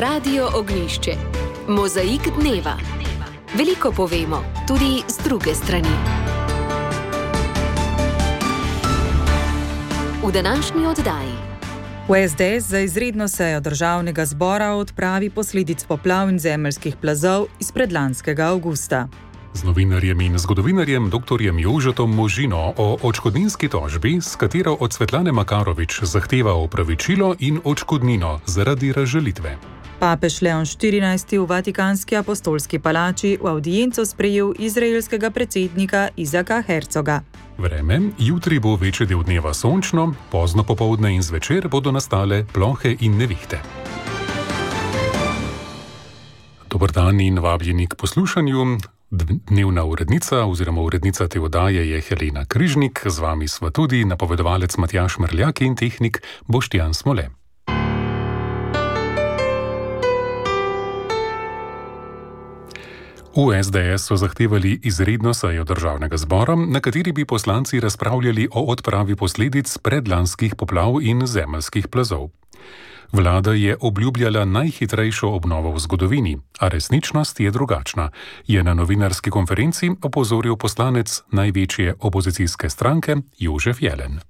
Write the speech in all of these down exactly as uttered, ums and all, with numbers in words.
Radio Ognjišče. Mozaik dneva. Veliko povemo, tudi z druge strani. V današnji oddaji. V es de es za izredno sejo državnega zbora o odpravi posledic poplav in zemeljskih plazov iz predlanskega avgusta. Z novinarjem in zgodovinarjem doktorjem Jožetom Možino o odškodninski tožbi, s katero od Svetlane Makarovič zahteva opravičilo in odškodnino zaradi razžalitve. Papež Leon štirinajsti v Vatikanski apostolski palači v avdienco sprejel izraelskega predsednika Izaka Hercoga. Vreme, jutri bo večji del dneva sončno, pozno popoldne in zvečer bodo nastale plohe in nevihte. Dober dan in vabljeni k poslušanju. Dnevna urednica oziroma urednica te oddaje je Helena Križnik, z vami sva tudi napovedovalec Matjaž Mrljak in tehnik Boštjan Smole. V es de es so zahtevali izredno sejo državnega zbora, na kateri bi poslanci razpravljali o odpravi posledic predlanskih poplav in zemeljskih plazov. Vlada je obljubljala najhitrejšo obnovo v zgodovini, a resničnost je drugačna, je na novinarski konferenci opozoril poslanec največje opozicijske stranke Jožef Jelen.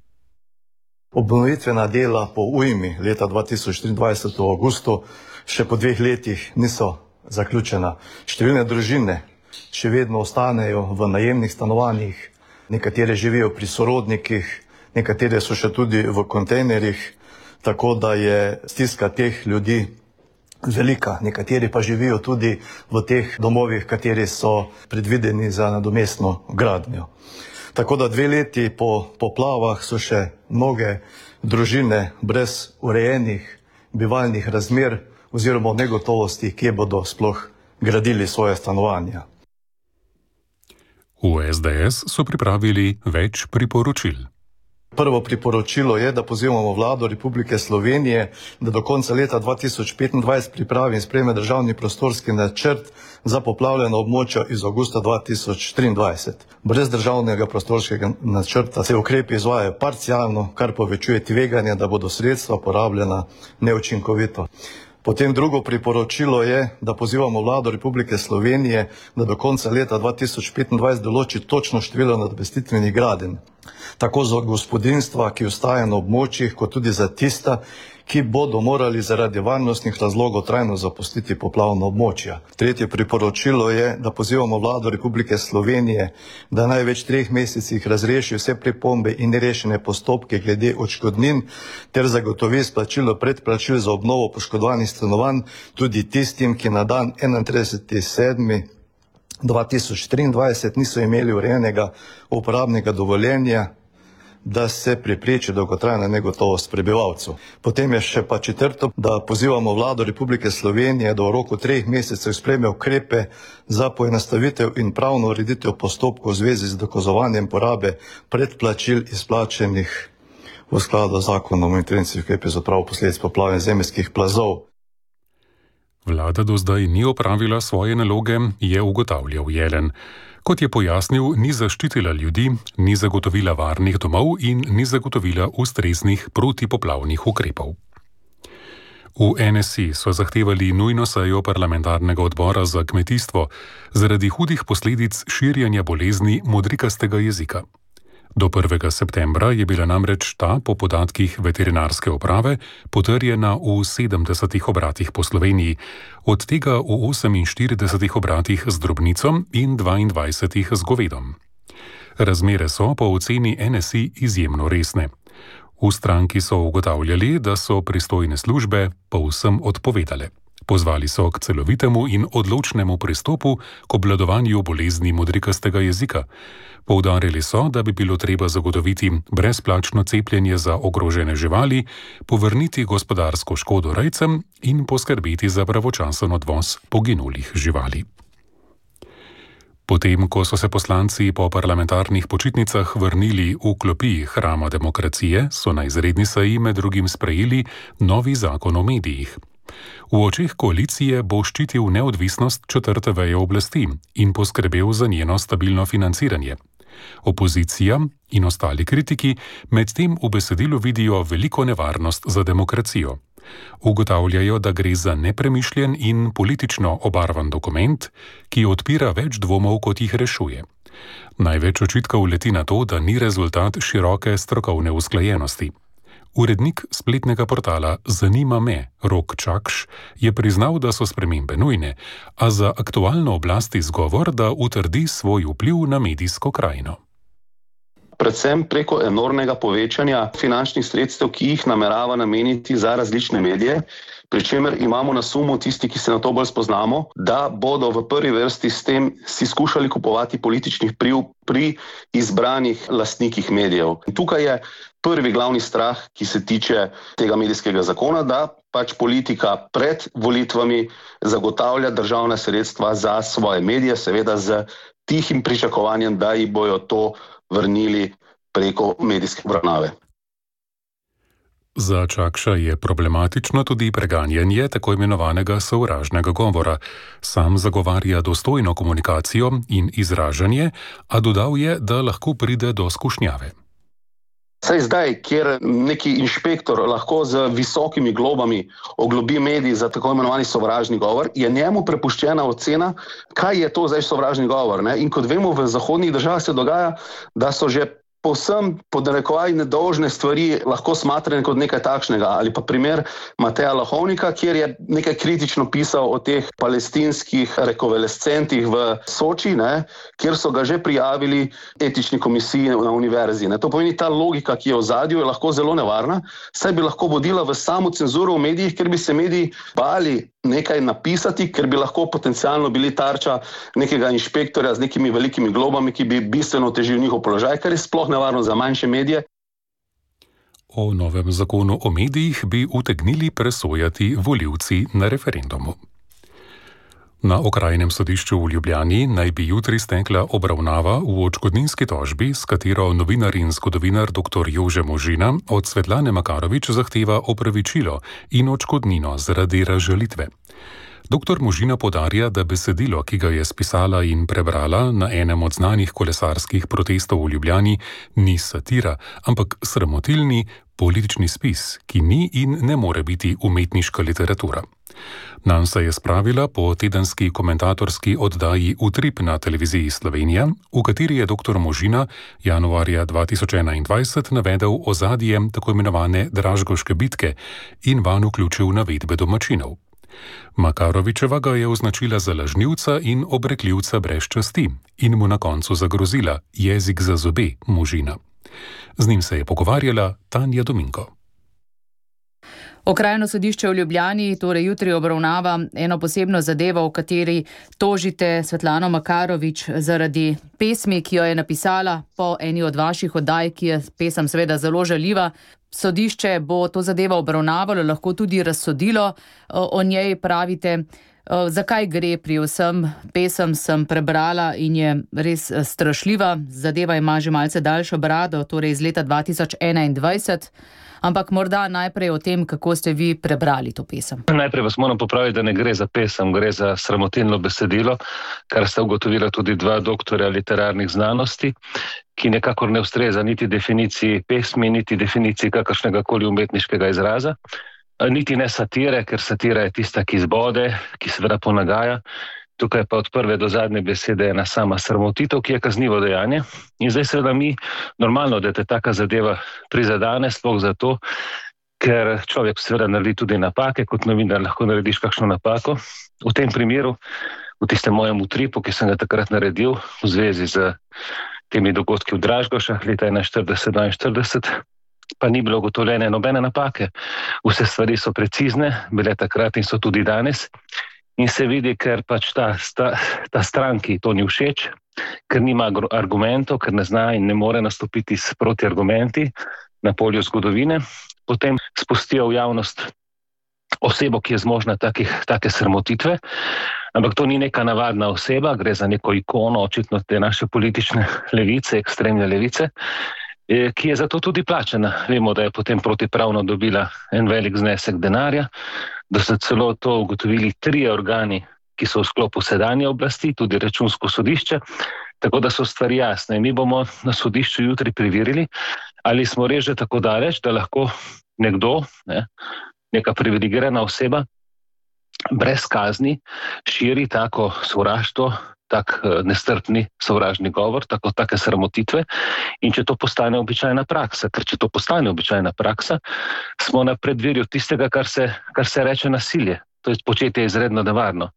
Obnovitvena dela po ujmi leta dva tisoč triindvajset v avgustu še po dveh letih niso zaključena. Številne družine še vedno ostanejo v najemnih stanovanjih, nekatere živijo pri sorodnikih, nekatere so še tudi v kontejnerjih, tako da je stiska teh ljudi velika. Nekateri pa živijo tudi v teh domovih, kateri so predvideni za nadomestno gradnjo. Tako da dve leti po poplavah so še mnoge družine brez urejenih bivalnih razmer oziroma negotovosti, kje bodo sploh gradili svoje stanovanja. V es de es so pripravili več priporočil. Prvo priporočilo je, da pozivamo vlado Republike Slovenije, da do konca leta dva tisoč petindvajset pripravi in sprejme državni prostorski načrt za poplavljena območja iz avgusta dva tisoč triindvajset. Brez državnega prostorskega načrta se ukrepi izvajajo parcialno, kar povečuje tveganje, da bodo sredstva porabljena neučinkovito. Potem drugo priporočilo je, da pozivamo vlado Republike Slovenije, da do konca leta dva tisoč petindvajset določi točno število nadomestitvenih gradenj, tako za gospodinjstva, ki ostajajo na območjih, kot tudi za tista, ki bodo morali zaradi varnostnih razlogov trajno zapustiti poplavna območja. Tretje priporočilo je, da pozivamo vlado Republike Slovenije, da največ treh mesecih razreši vse pripombe in nerešene postopke glede odškodnin ter zagotovi splačilo predplačil za obnovo poškodovanih stanovanj tudi tistim, ki na dan enaintrideseti sedmi dva tisoč triindvajset niso imeli urejenega uporabnega dovoljenja, da se prepreči dolgotrajna negotovost prebivalcev. Potem je še pa četrto, da pozivamo vlado Republike Slovenije, da v roku treh mesecev sprejme ukrepe za poenostavitev in pravno ureditev postopkov v zvezi z dokazovanjem porabe predplačil izplačenih v skladu z zakonom o intervencijskih ukrepih za odpravo posledic poplav in zemeljskih plazov. Vlada do zdaj ni opravila svoje naloge, je ugotavljal Jelen. Kot je pojasnil, ni zaščitila ljudi, ni zagotovila varnih domov in ni zagotovila ustreznih protipoplavnih ukrepov. V en es i so zahtevali nujno sejo parlamentarnega odbora za kmetijstvo zaradi hudih posledic širjenja bolezni modrikastega jezika. Do prvega septembra je bila namreč ta, po podatkih veterinarske uprave, potrjena v sedemdesetih obratih po Sloveniji, od tega v oseminštiridesetih obratih z drobnico in dvaindvajsetih z govedom. Razmere so po oceni en es i izjemno resne. V stranki so ugotavljali, da so pristojne službe povsem odpovedale. Pozvali so k celovitemu in odločnemu pristopu k obvladovanju bolezni modrikastega jezika. Poudarili so, da bi bilo treba zagotoviti brezplačno cepljenje za ogrožene živali, povrniti gospodarsko škodo rejcem in poskrbeti za pravočasen odvoz poginulih živali. Potem, ko so se poslanci po parlamentarnih počitnicah vrnili v klopi Hrama demokracije, so na izredni seji med drugim sprejeli novi zakon o medijih. V očeh koalicije bo ščitil neodvisnost četrte veje oblasti in poskrbel za njeno stabilno financiranje. Opozicija in ostali kritiki medtem v besedilu vidijo veliko nevarnost za demokracijo. Ugotavljajo, da gre za nepremišljen in politično obarvan dokument, ki odpira več dvomov, kot jih rešuje. Največ očitkov leti na to, da ni rezultat široke strokovne usklajenosti. Urednik spletnega portala Zanima me, Rok Čakš, je priznal, da so spremembe nujne, a za aktualno oblast izgovor, da utrdi svoj vpliv na medijsko krajino. Predvsem preko enormnega povečanja finančnih sredstev, ki jih namerava nameniti za različne medije, pri čemer imamo na sumu tisti, ki se na to bolj spoznamo, da bodo v prvi vrsti s tem si skušali kupovati političnih vpliv pri izbranih lastnikih medijev. In tukaj je prvi glavni strah, ki se tiče tega medijskega zakona, da pač politika pred volitvami zagotavlja državna sredstva za svoje medije, seveda z tihim pričakovanjem, da ji bojo to vrnili preko medijske obravnave. Za Čakša je problematično tudi preganjanje tako imenovanega sovražnega govora. Sam zagovarja dostojno komunikacijo in izražanje, a dodal je, da lahko pride do skušnjave. Saj zdaj, kjer neki inšpektor lahko z visokimi globami oglobi medij za tako imenovani sovražni govor, je njemu prepuščena ocena, kaj je to zdaj sovražni govor. Ne? In kot vemo, v zahodnih državah se dogaja, da so že povsem pod narekovaji nedolžne stvari lahko smatrane kot nekaj takšnega. Ali pa primer Mateja Lahovnika, kjer je nekaj kritično pisal o teh palestinskih rekovalescentih v Soči, ne, kjer so ga že prijavili etični komisiji na univerzi. Ne. To pomeni, ta logika, ki je v ozadju, je lahko zelo nevarna, saj bi lahko vodila v samo cenzuro v medijih, ker bi se mediji bali nekaj napisati, ker bi lahko potencialno bili tarča nekega inšpektorja z nekimi velikimi globami, ki bi bistveno otežil njihov položaj, kar je sploh nevarno za manjše medije. O novem zakonu o medijih bi utegnili presojati volivci na referendumu. Na okrajnem sodišču v Ljubljani naj bi jutri stekla obravnava v odškodninski tožbi, s katero novinar in zgodovinar doktor Jože Možina od Svetlane Makarovič zahteva opravičilo in odškodnino zaradi razžalitve. Doktor Možina podarja, da besedilo, ki ga je spisala in prebrala na enem od znanih kolesarskih protestov v Ljubljani, ni satira, ampak sramotilni politični spis, ki ni in ne more biti umetniška literatura. Nanj se je spravila po tedenski komentatorski oddaji Utrip na televiziji Slovenija, v kateri je doktor Možina januarja dva tisoč enaindvajset navedel ozadje tako imenovane Dražgoške bitke in vanj vključil navedbe domačinov. Makarovičeva ga je označila za lažnivca in obrekljivca brez časti in mu na koncu zagrozila jezik za zobe Možina. Z njim se je pogovarjala Tanja Dominko. Okrajno sodišče v Ljubljani torej jutri obravnava eno posebno zadevo, v kateri tožite Svetlano Makarovič zaradi pesmi, ki jo je napisala po eni od vaših oddaj, ki je pesem seveda zelo žaljiva. Sodišče bo to zadevo obravnavalo, lahko tudi razsodilo o njej, pravite. Zakaj gre pri vsem? Pesem sem prebrala in je res strašljiva. Zadeva ima že malce daljšo brado, torej iz leta dva tisoč enaindvajset. Ampak morda najprej o tem, kako ste vi prebrali to pesem. Najprej vas moram popraviti, da ne gre za pesem, gre za sramotilno besedilo, kar sta ugotovila tudi dva doktorja literarnih znanosti, ki nekakor ne ustreza niti definiciji pesmi, niti definiciji kakršnega koli umetniškega izraza, niti ne satire, ker satira je tista, ki zbode, ki seveda ponagaja. Tukaj pa od prve do zadnje besede ena sama sramotitev, ki je kaznivo dejanje. In zdaj seveda mi normalno, da te taka zadeva prizadane, sploh zato, ker človek seveda naredi tudi napake, kot novinar lahko narediš kakšno napako. V tem primeru, v tistem mojem utripu, ki sem ga takrat naredil v zvezi z temi dogodki v Dražgošah leta enainštirideset dvainštirideset, pa ni bilo ugotovljene nobene napake. Vse stvari so precizne, bile takrat in so tudi danes. In se vidi, ker pač ta, ta, ta stranki to ni všeč, ker nima argumentov, ker ne zna in ne more nastopiti s protiargumenti na polju zgodovine, potem spustijo v javnost osebo, ki je zmožna takih, take sramotitve, ampak to ni neka navadna oseba, gre za neko ikono, očitno te naše politične levice, ekstremne levice, ki je zato tudi plačena. Vemo, da je potem protipravno dobila en velik znesek denarja, da so celo to ugotovili trije organi, ki so v sklopu sedanje oblasti, tudi Računsko sodišče, tako da so stvari jasne. Mi bomo na sodišču jutri preverili, ali smo res že tako daleč, da lahko nekdo, ne, neka privilegirana oseba brez kazni širi tako sovraštvo, tak nestrpni sovražni govor, tako take sramotitve. In če to postane običajna praksa, ker če to postane običajna praksa, smo na predvirju tistega, kar se, kar se reče nasilje. To je početje izredno nevarno.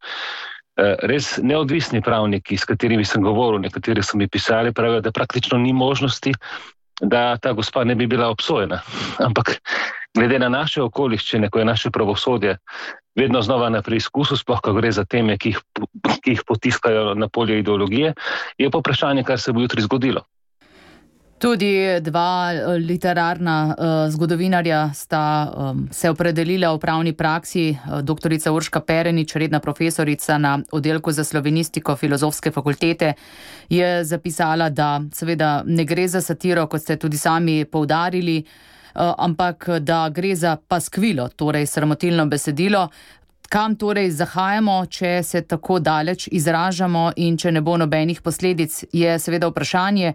Res neodvisni pravniki, s katerimi sem govoril, nekateri so mi pisali, pravijo, da praktično ni možnosti, da ta gospa ne bi bila obsojena. Ampak glede na naše okoliščine, ko je naše pravosodje vedno znova na preizkusu, sploh ko gre za teme, ki jih, ki jih potiskajo na polje ideologije, je pa vprašanje, kar se bo jutri zgodilo. Tudi dva literarna uh, zgodovinarja sta um, se opredelila v pravni praksi. Doktorica Urška Perenič, redna profesorica na oddelku za slovenistiko Filozofske fakultete, je zapisala, da seveda ne gre za satiro, kot ste tudi sami poudarili, uh, ampak da gre za paskvilo, torej sramotilno besedilo. Kam torej zahajamo, če se tako daleč izražamo in če ne bo nobenih posledic, je seveda vprašanje.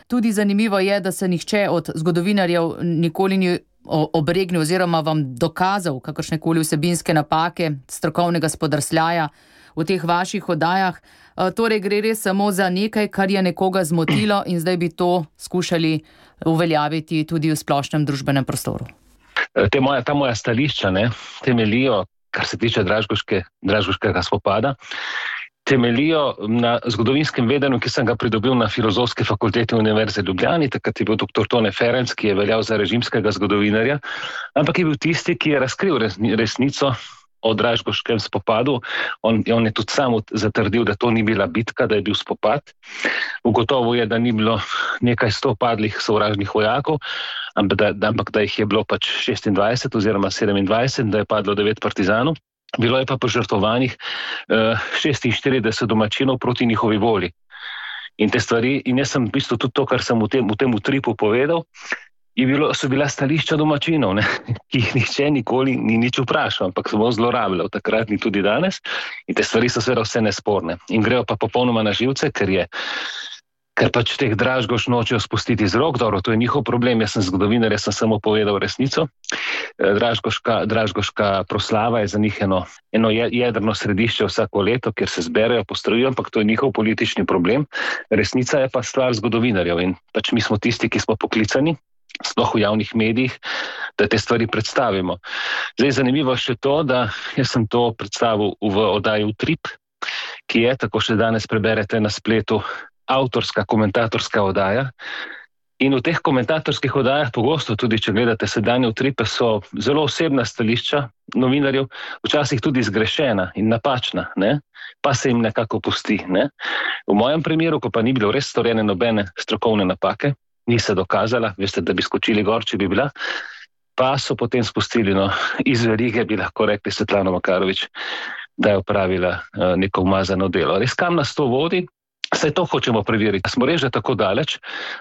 Tudi zanimivo je, da se nihče od zgodovinarjev nikoli ni obregnil oziroma vam dokazal kakršnekoli vsebinske napake, strokovnega spodrsljaja v teh vaših oddajah. Torej gre res samo za nekaj, kar je nekoga zmotilo in zdaj bi to skušali uveljaviti tudi v splošnem družbenem prostoru. Te moja, ta moja stališča ne, temelijo, kar se tiče Dražgoške, Dražgoškega spopada, temelijo na zgodovinskem vedenju, ki sem ga pridobil na Filozofski fakulteti Univerze v Ljubljani. Takrat je bil doktor Tone Ferenc, ki je veljal za režimskega zgodovinarja, ampak je bil tisti, ki je razkril resnico o Dražgoškem spopadu. On, on je tudi sam zatrdil, da to ni bila bitka, da je bil spopad. Ugotovil je, da ni bilo nekaj sto padlih sovražnih vojakov, ampak da, ampak da jih je bilo pač šestindvajset oziroma sedemindvajset, da je padlo devet partizanov. Bilo je pa požrtvovanih uh, šestinštirideset domačinov proti njihovi volji. In te stvari, in jaz sem v bistvu tudi to, kar sem v tem, v tem utripu povedal, je bilo, so bila stališča domačinov, ne, ki jih nihče nikoli ni nič vprašal, ampak so bolj zlorabljal, takrat ni tudi danes. In te stvari so seveda vse nesporne. In grejo pa popolnoma na živce, ker je ker pač teh Dražgoš nočejo spustiti z rok. Dobro, to je njihov problem, jaz sem zgodovinar, jaz sem samo povedal resnico. Dražgoška, Dražgoška proslava je za njih eno, eno jedrno središče vsako leto, kjer se zberejo, postrojijo, ampak to je njihov politični problem. Resnica je pa stvar zgodovinarjev in pač mi smo tisti, ki smo poklicani, sploh v javnih medijih, da te stvari predstavimo. Zdaj zanimivo še to, da jaz sem to predstavil v oddaji Utrip, ki je, tako še danes preberete na spletu, avtorska komentatorska oddaja. In v teh komentatorskih oddajah pogosto, tudi če gledate sedanje Utripe, so zelo osebna stališča novinarjev, včasih tudi zgrešena in napačna, ne? Pa se jim nekako pusti. Ne? V mojem primeru, ko pa ni bilo res storjene nobene strokovne napake, ni se dokazala, veste, da bi skočili gor, če bi bila, pa so potem spustili, no, iz verige bi lahko rekli Svetlano Makarovič, da je opravila uh, neko umazano delo. Res kam nas to vodi? Saj to hočemo preveriti. Smo res že tako daleč,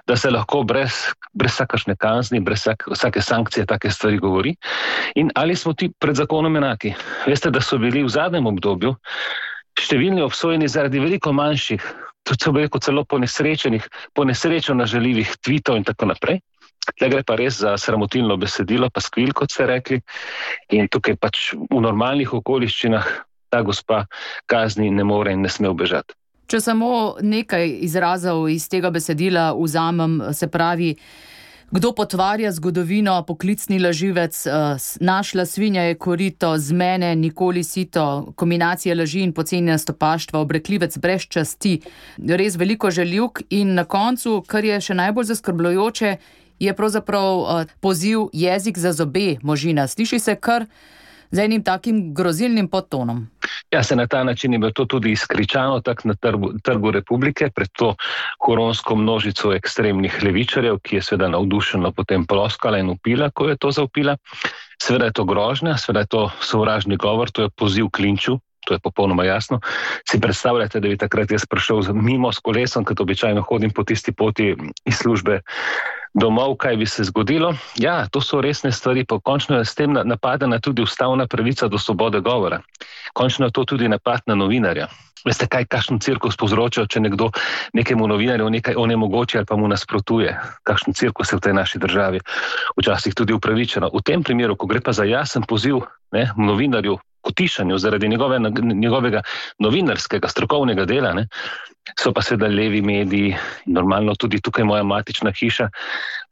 da se lahko brez, brez vsakašne kazni, brez vsak, vsake sankcije take stvari govori. In ali smo ti pred zakonom enaki? Veste, da so bili v zadnjem obdobju številni obsojeni zaradi veliko manjših, tudi so bili celo ponesrečenih, ponesrečeno žaljivih tweetov in tako naprej. Tle gre pa res za sramotilno besedilo, pa skvil, kot ste rekli. In tukaj pač v normalnih okoliščinah ta gospa kazni ne more in ne sme ubežati. Če samo nekaj izrazov iz tega besedila vzamem, se pravi, kdo potvarja zgodovino, poklicni laživec, našla svinja je korito, z mene nikoli sito, kombinacija laži in pocenjena stopaštva, obrekljivec brez časti, res veliko žaljivk in na koncu, kar je še najbolj zaskrbljujoče, je pravzaprav poziv jezik za zobe možina. Sliši se kar z enim takim grozilnim podtonom. Ja, se na ta način je bilo to tudi izkričano tak na trgu, trgu Republike pred to koronsko množico ekstremnih levičarjev, ki je seveda navdušeno potem ploskala in upila, ko je to zaupila. Seveda je to grožnja, seveda je to sovražni govor, to je poziv k linču, to je popolnoma jasno. Si predstavljate, da bi takrat jaz prišel mimo s kolesom, kot običajno hodim po tisti poti iz službe domov, kaj bi se zgodilo? Ja, to so resne stvari, pa končno je s tem napadena tudi ustavna pravica do svobode govora. Končno je to tudi napad na novinarja. Veste, kaj kakšen cirkus povzroča, če nekdo nekemu novinarju nekaj onemogoči ali pa mu nasprotuje? Kakšen cirkus je v tej naši državi? Včasih tudi upravičeno. V tem primeru, ko gre pa za jasen poziv ne, novinarju k utišanju zaradi njegove, njegovega novinarskega, strokovnega dela, ne, so pa seveda levi mediji, normalno tudi tukaj moja matična hiša,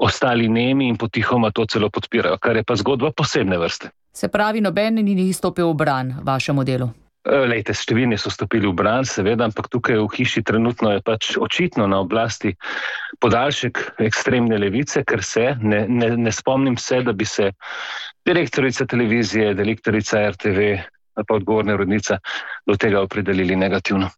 ostali nemi in potihoma to celo podpirajo, kar je pa zgodba posebne vrste. Se pravi, noben ni stopil v bran vašemu delu? Lejte, številni so stopili v bran, seveda, ampak tukaj v hiši trenutno je pač očitno na oblasti podaljšek ekstremne levice, ker se, ne, ne, ne spomnim se, da bi se direktorica televizije, direktorica er te ve, pa odgovorna urednica do tega opredelili negativno.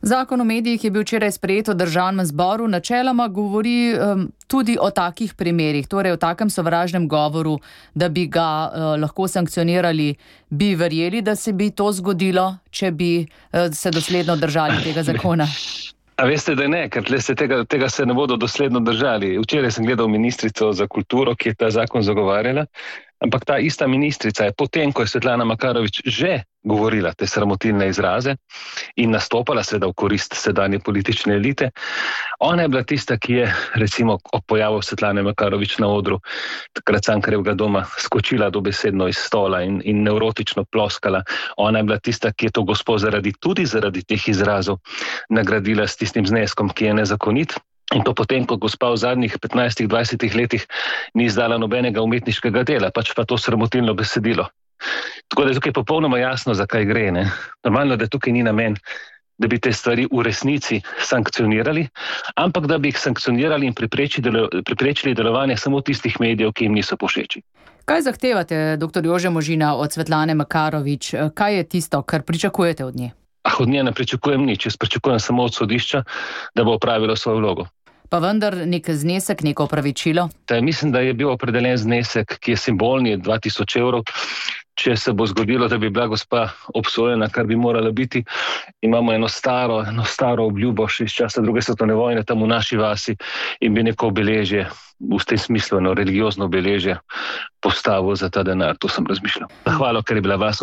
Zakon o medijih je bil včeraj sprejet v državnem zboru, načeloma govori um, tudi o takih primerih, torej o takem sovražnem govoru, da bi ga uh, lahko sankcionirali. Bi verjeli, da se bi to zgodilo, če bi uh, se dosledno držali tega zakona? A veste, da ne, ker se tega, tega se ne bodo dosledno držali. Včeraj sem gledal ministrico za kulturo, ki je ta zakon zagovarjala, ampak ta ista ministrica je potem, ko je Svetlana Makarovič že govorila te sramotilne izraze in nastopala seveda v korist sedanje politične elite, ona je bila tista, ki je recimo ob pojavu Svetlane Makarovič na odru takrat Cankarjevega doma skočila dobesedno iz stola in, in nevrotično ploskala. Ona je bila tista, ki je to gospo zaradi, tudi zaradi teh izrazov nagradila s tistim zneskom, ki je nezakonit. In to potem, ko gospa v zadnjih petnajstih dvajsetih letih ni izdala nobenega umetniškega dela, pač pa to sramotilno besedilo. Tako da je tukaj popolnoma jasno, zakaj gre. Ne? Normalno, da tukaj ni namen, da bi te stvari v resnici sankcionirali, ampak da bi jih sankcionirali in preprečili, delo, preprečili delovanje samo tistih medijev, ki jim niso povšeči. Kaj zahtevate, doktor Jože Možina, od Svetlane Makarovič? Kaj je tisto, kar pričakujete od nje? Ah, od nje ne pričakujem nič, jaz pričakujem samo od sodišča, da bo opravilo svojo vlogo. Pa vendar nek znesek, neko opravičilo? Ta, mislim, da je bil opredeljen znesek, ki je simbolni, dva tisoč evrov. Če se bo zgodilo, da bi bila gospa obsojena, kar bi morala biti, imamo eno staro, eno staro obljubo še iz časa druge svetovne vojne tam v naši vasi in bi neko obeležje, v tem smislu eno religiozno obeležje postavil za ta denar. To sem razmišljal. Zahvalo, ker je bila vas,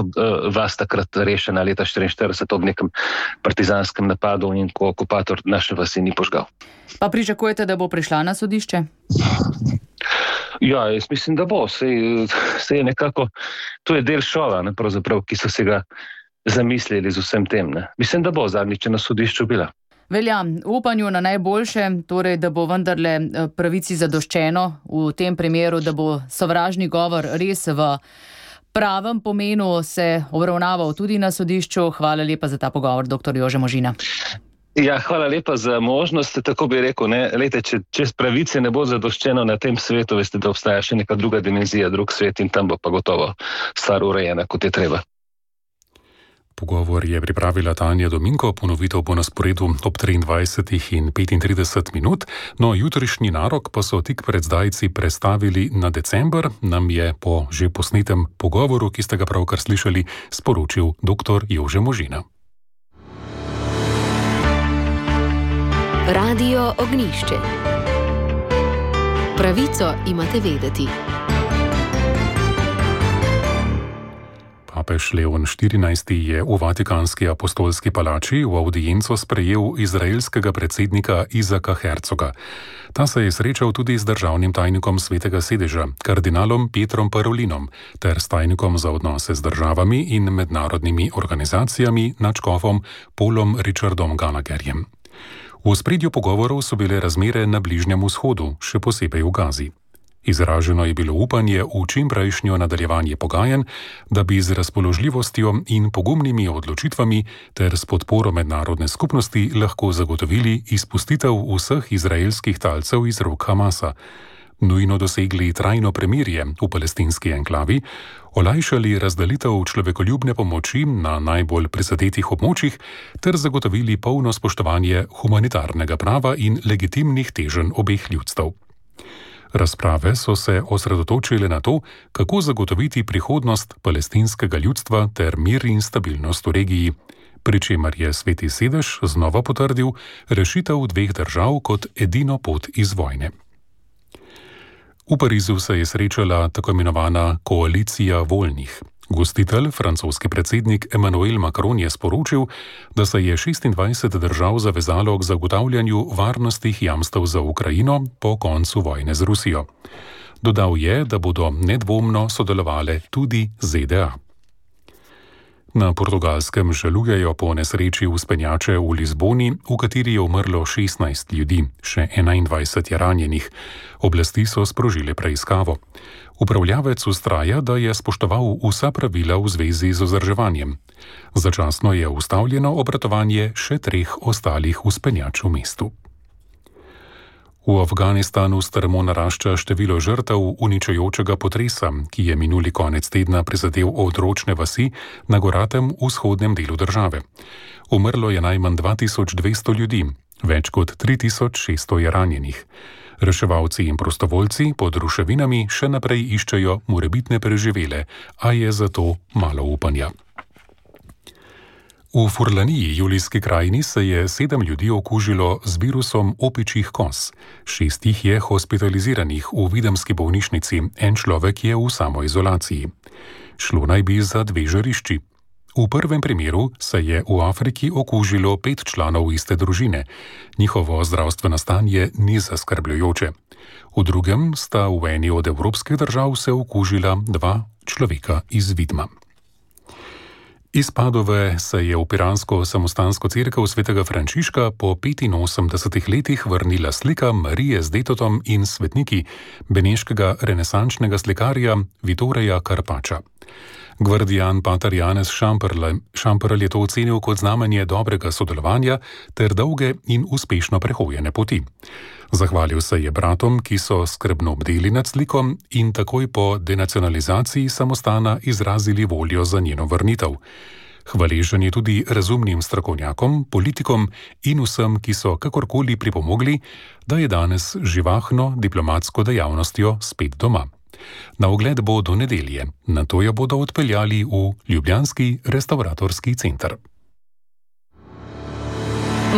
vas takrat rešena leta štiriinštirideset ob nekem partizanskem napadu in ko okupator naše vasi ni požgal. Pa pričakujete, da bo prišla na sodišče? Ja, jaz mislim, da bo. Sej, sej je nekako, to je del šova, ne, pravzaprav, ki so se ga zamislili z vsem tem. Ne. Mislim, da bo zadnjič na sodišču bila. Velja, upanju na najboljše, torej, da bo vendarle pravici zadoščeno v tem primeru, da bo sovražni govor res v pravem pomenu se obravnaval tudi na sodišču. Hvala lepa za ta pogovor, doktor Jože Možina. Ja, hvala lepa za možnost, tako bi rekel, ne, lejte, če, če pravice ne bo zadoščeno na tem svetu, veste, da obstaja še neka druga dimenzija, drug svet in tam bo pa gotovo stvar urejena, kot je treba. Pogovor je pripravila Tanja Dominko, ponovitev bo na sporedu ob triindvajsetih in petintrideset minut, no jutrišnji narok pa so tik pred zdajci prestavili na december, nam je po že posnetem pogovoru, ki ste ga pravkar slišali, sporočil doktor Jože Možina. Radio Ognišče. Pravico imate vedeti. Papež Leon štirinajsti je v Vatikanski apostolski palači v avdienco sprejel izraelskega predsednika Izaka Hercoga. Ta se je srečal tudi z državnim tajnikom Svetega sedeža, kardinalom Pietrom Parolinom, ter s tajnikom za odnose z državami in mednarodnimi organizacijami nadškofom Paulom Richardom Gallagherjem. V ospredju pogovorov so bile razmere na Bližnjem vzhodu, še posebej v Gazi. Izraženo je bilo upanje v čimprejšnjo nadaljevanje pogajanj, da bi z razpoložljivostjo in pogumnimi odločitvami ter s podporo mednarodne skupnosti lahko zagotovili izpustitev vseh izraelskih talcev iz rok Hamasa, nujno dosegli trajno premirje v palestinski enklavi, olajšali razdelitev človekoljubne pomoči na najbolj prizadetih območjih ter zagotovili polno spoštovanje humanitarnega prava in legitimnih teženj obeh ljudstev. Razprave so se osredotočile na to, kako zagotoviti prihodnost palestinskega ljudstva ter mir in stabilnost v regiji, pri čemer je Sveti sedež znova potrdil rešitev dveh držav kot edino pot iz vojne. V Parizu se je srečala tako imenovana koalicija voljnih. Gostitelj, francoski predsednik Emmanuel Macron, je sporočil, da se je šestindvajset držav zavezalo k zagotavljanju varnostnih jamstev za Ukrajino po koncu vojne z Rusijo. Dodal je, da bodo nedvomno sodelovale tudi Z D A. Na Portugalskem žalujejo po nesreči vzpenjače v Lizboni, v kateri je umrlo šestnajst ljudi, še enaindvajset je ranjenih. Oblasti so sprožile preiskavo. Upravljavec vztraja, da je spoštoval vsa pravila v zvezi z vzdrževanjem. Začasno je ustavljeno obratovanje še treh ostalih vzpenjač v mestu. V Afganistanu strmo narašča število žrtev uničujočega potresa, ki je minuli konec tedna prizadel odročne vasi na goratem vzhodnem delu države. Umrlo je najmanj dva tisoč dvesto ljudi, več kot tri tisoč šeststo je ranjenih. Reševalci in prostovoljci pod ruševinami še naprej iščejo morebitne preživele, a je zato malo upanja. V Furlaniji, Julijski krajini, se je sedem ljudi okužilo z virusom opičjih koz. Šest jih je hospitaliziranih v videmski bolnišnici, en človek je v samoizolaciji. Šlo naj bi za dve žarišči. V prvem primeru se je v Afriki okužilo pet članov iste družine. Njihovo zdravstveno stanje ni zaskrbljujoče. V drugem sta v eni od evropskih držav se okužila dva človeka iz Vidma. Iz Padove se je v piransko samostansko cerkev svetega Frančiška po petinosemdesetih letih vrnila slika Marije z detotom in svetniki beneškega renesančnega slikarja Vittoria Carpaccia. Gvardijan pater Janez Šamperl je to ocenil kot znamenje dobrega sodelovanja ter dolge in uspešno prehojene poti. Zahvalil se je bratom, ki so skrbno bdeli nad slikom in takoj po denacionalizaciji samostana izrazili voljo za njeno vrnitev. Hvaležen je tudi razumnim strokovnjakom, politikom in vsem, ki so kakorkoli pripomogli, da je danes živahno diplomatsko dejavnostjo spet doma. Na ogled bo do nedelje, nato jo bodo odpeljali v ljubljanski restavratorski center.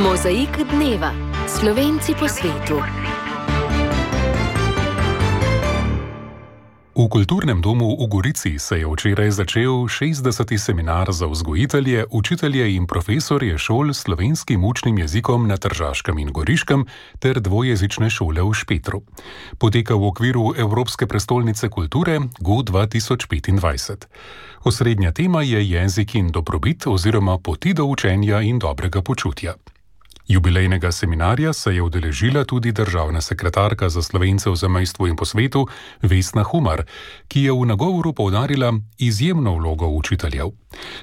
Mozaik dneva. Slovenci po svetu. V kulturnem domu v Gorici se je včeraj začel šestdeseti seminar za vzgojitelje, učitelje in profesorje šol s slovenskim učnim jezikom na Tržaškem in Goriškem ter dvojezične šole v Špetru. Poteka v okviru Evropske prestolnice kulture G O dva tisoč petindvajset. Osrednja tema je jezik in dobrobit oziroma poti do učenja in dobrega počutja. Jubilejnega seminarja se je udeležila tudi državna sekretarka za Slovence v zamejstvu in po svetu Vesna Humar, ki je v nagovoru poudarila izjemno vlogo učiteljev.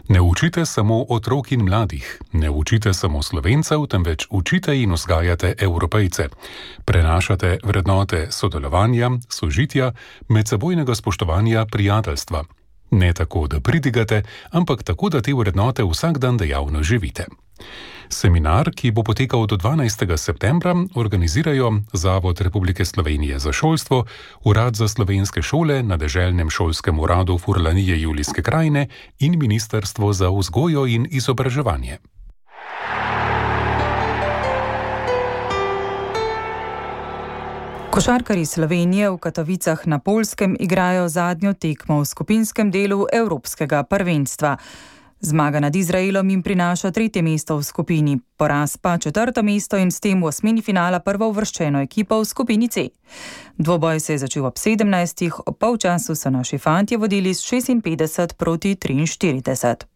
Ne učite samo otrok in mladih, ne učite samo Slovencev, temveč učite in vzgajate Evropejce. Prenašate vrednote sodelovanja, sožitja, medsebojnega spoštovanja, prijateljstva. Ne tako, da pridigate, ampak tako, da te vrednote vsak dan dejavno živite. Seminar, ki bo potekal do dvanajstega septembra, organizirajo Zavod Republike Slovenije za šolstvo, Urad za slovenske šole na Deželnem šolskem uradu Furlanije Julijske krajine in Ministrstvo za vzgojo in izobraževanje. Košarkarji Slovenije v Katovicah na Poljskem igrajo zadnjo tekmo v skupinskem delu Evropskega prvenstva. Zmaga nad Izraelom jim prinaša tretje mesto v skupini, poraz pa četrto mesto in s tem v osmini finala prvouvrščeno ekipo v skupini C. Dvoboj se je začel ob sedemnajstih, ob polčasu so naši fantje vodili s šestinpetdeset proti triinštirideset.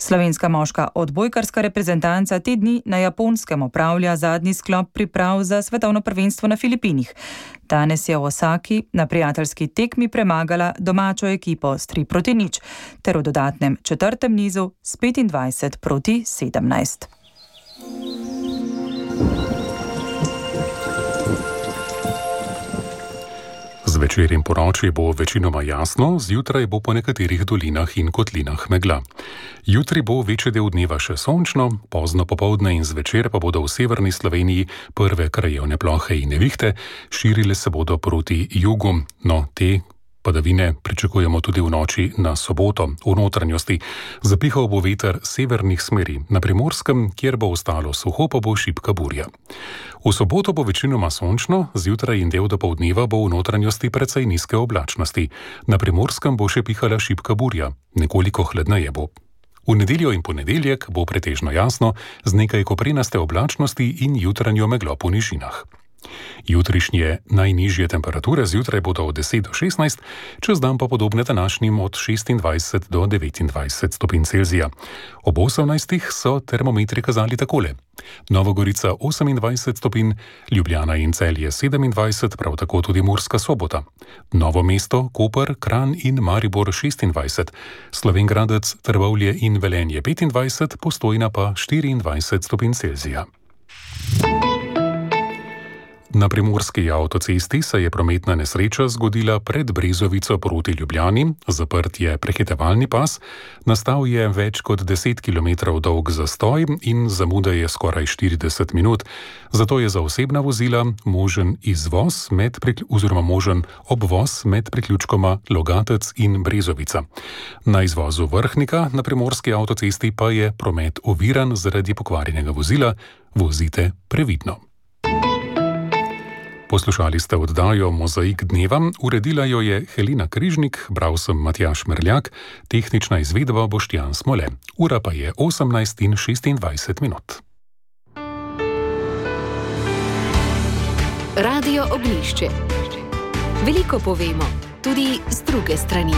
Slovenska moška odbojkarska reprezentanca te dni na Japonskem opravlja zadnji sklop priprav za svetovno prvenstvo na Filipinih. Danes je v Osaki na prijateljski tekmi premagala domačo ekipo s tri proti nič, ter v dodatnem četrtem nizu s petindvajset proti sedemnajst. Zvečer in ponoči bo večinoma jasno, zjutraj bo po nekaterih dolinah in kotlinah megla. Jutri bo večji del dneva še sončno, pozno popoldne in zvečer pa bodo v severni Sloveniji prve krajevne plohe in nevihte, širile se bodo proti jugu, no te padavine pričakujemo tudi v noči na soboto. V notranjosti zapihal bo veter severnih smeri, na Primorskem, kjer bo ostalo suho, pa bo šibka burja. V soboto bo večinoma sončno, zjutraj in del dopoldneva bo v notranjosti precej nizke oblačnosti. Na Primorskem bo še pihala šibka burja, nekoliko hladneje bo. V nedeljo in ponedeljek bo pretežno jasno, z nekaj koprenaste oblačnosti in jutranjo meglo po nižinah. Jutrišnje najnižje temperature zjutraj bodo od deset do šestnajst, čez dan pa podobne današnjim od šestindvajset do devetindvajset stopinj Celzija. Ob osemnajstih so termometri kazali takole: Nova Gorica osemindvajset stopinj, Ljubljana in Celje sedemindvajset, prav tako tudi Murska Sobota. Novo mesto, Koper, Kranj in Maribor šestindvajset, Slovenj Gradec, Trbovlje in Velenje petindvajset, Postojna pa štiriindvajset stopinj Celzija. Na primorski avtocesti se je prometna nesreča zgodila pred Brezovico proti Ljubljani, zaprt je prehitevalni pas, nastal je več kot deset kilometrov dolg zastoj in zamuda je skoraj štirideset minut. Zato je za osebna vozila možen izvoz med oziroma možen obvoz med priključkoma Logatec in Brezovica. Na izvozu Vrhnika na primorski avtocesti pa je promet oviran zaradi pokvarjenega vozila. Vozite previdno. Poslušali ste oddajo Mozaik dneva, uredila jo je Helena Križnik, bral sem Matjaž Merljak, tehnična izvedba Boštjan Smole. Ura pa je osemnajst in šestindvajset minut. Radio Ognjišče. Veliko povemo, tudi z druge strani.